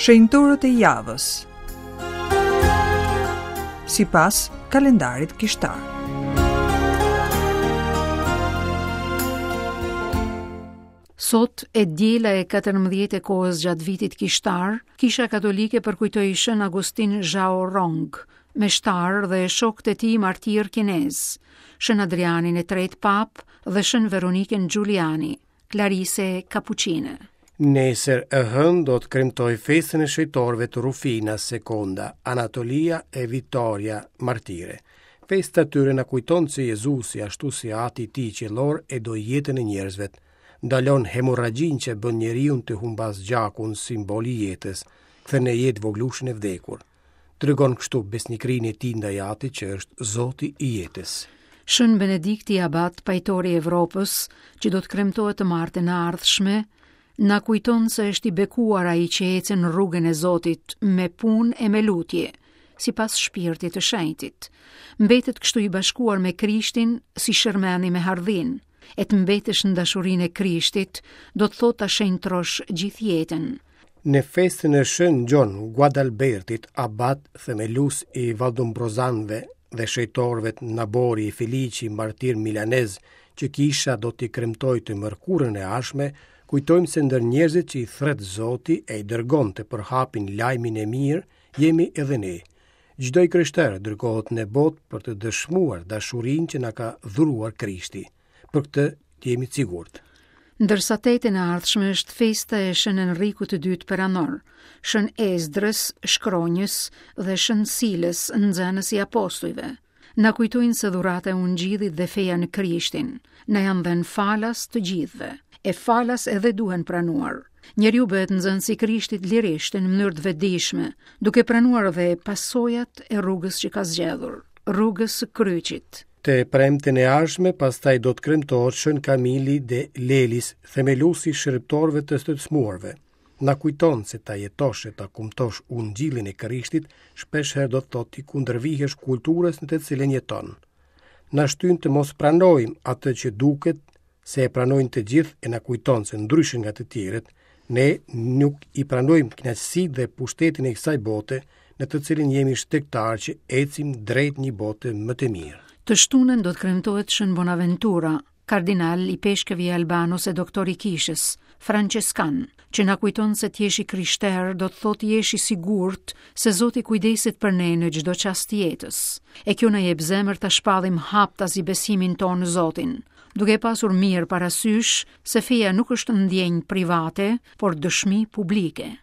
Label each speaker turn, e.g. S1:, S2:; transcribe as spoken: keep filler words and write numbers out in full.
S1: Shenjtorët e javës sipas kalendarit kishtar.
S2: Sot e diela e katërmbëdhjetë e kohës gjatë vitit kishtar, Kisha Katolike përkujtoi Shën Agustin Zhao Rong, meshtar dhe shokët e tij martir kinez, Shën Adrianin e tretë pap dhe Shën Veronikën Giuliani, Klarise Kapuçine.
S3: Nesër e hënë do të kremtoj festën e shenjtorëve të Rufina Sekonda, Anatolia e Vitoria Martire. Festa e tyre na kujton se Jezusi, ashtu si Ati i tij qiellor, e do jetën e njerëzve. Ndalon hemorragjinë që bën njeriun të humbas gjakun, simbol i jetës, kthen në jetë vogëlushin e vdekur. Tregon kështu besnikërinë e tij ndaj Atit që është Zoti i jetës.
S2: Shën Benedikti Abat, pajtori i Evropës, që do të kremtohet të martën e ardhshme, na kujton se është i bekuar ai që ecën rrugën e Zotit me punë e me lutje, sipas shpirtit të shenjtit. Mbetet kështu i bashkuar me Krishtin si shërmeni me hardhin. E të mbetesh në dashurinë e Krishtit, do të thotë ta shenjtrosh gjithë jetën.
S3: Në festën e Shën Gjon Guadalbertit, abat themelus i Valdumbrozanëve dhe shenjtorëve Nabori e Felici, martir milanez, që kisha do t'i kremtoj të mërkurën e ardhshme, kujtojmë se ndër njerëzit që i thret Zoti e i dërgon të përhapin lajmin e mirë, jemi edhe ne. Çdo i krishterë dërgohet në botë për të dëshmuar dashurinë që na ka dhuruar Krishti. Për këtë të jemi të sigurt.
S2: Ndërsa tetën e ardhshme është festa e Shën Enrikut të dytë Peranor, Shën Ezdrës, Shkronjës dhe Shën Silës, nxënës i apostujve. Na kujtojnë se dhurata e Ungjillit dhe feja në Krishtin na janë dhënë falas të gjithëve, e falas edhe duhen pranuar. Njeriu bëhet nxënës i Krishtit lirisht në mënyrë të vetëdijshme, duke pranuar edhe pasojat e rrugës që ka zgjedhur, rrugës së kryqit.
S3: Të premten e ardhshme pastaj do të kremtohet Shën Kamili de Lelis, themeluesi i shërbëtorëve të të smuarve. Na kujton se ta jetosh e ta kumtosh Ungjillin e Krishtit, shpesh herë do të thotë t'i kundërvihesh kulturës në të cilën jeton. Na shtyn të mos pranojmë atë që duket se e pranojnë të gjithë e na kujton se ndryshe nga të tjerët, ne nuk i pranojmë kënaqësitë dhe pushtetin e kësaj bote në të cilin jemi shtegtar që ecim drejt një bote më të mirë.
S2: Të shtunën do të kremtohet Shën Bonaventura, kardinal i peshkëvi i Albanos e doktor i kishës, Franceskan, që na kujton se të jesh i krishterë do të thotë jesh i sigurt se Zoti kujdeset për ne në çdo çast të jetës. E kjo na jep zemër ta shpallim haptazi besimin tonë në Zotin, duke pasur mirë parasysh se feja nuk është ndjenjë private, por dëshmi publike.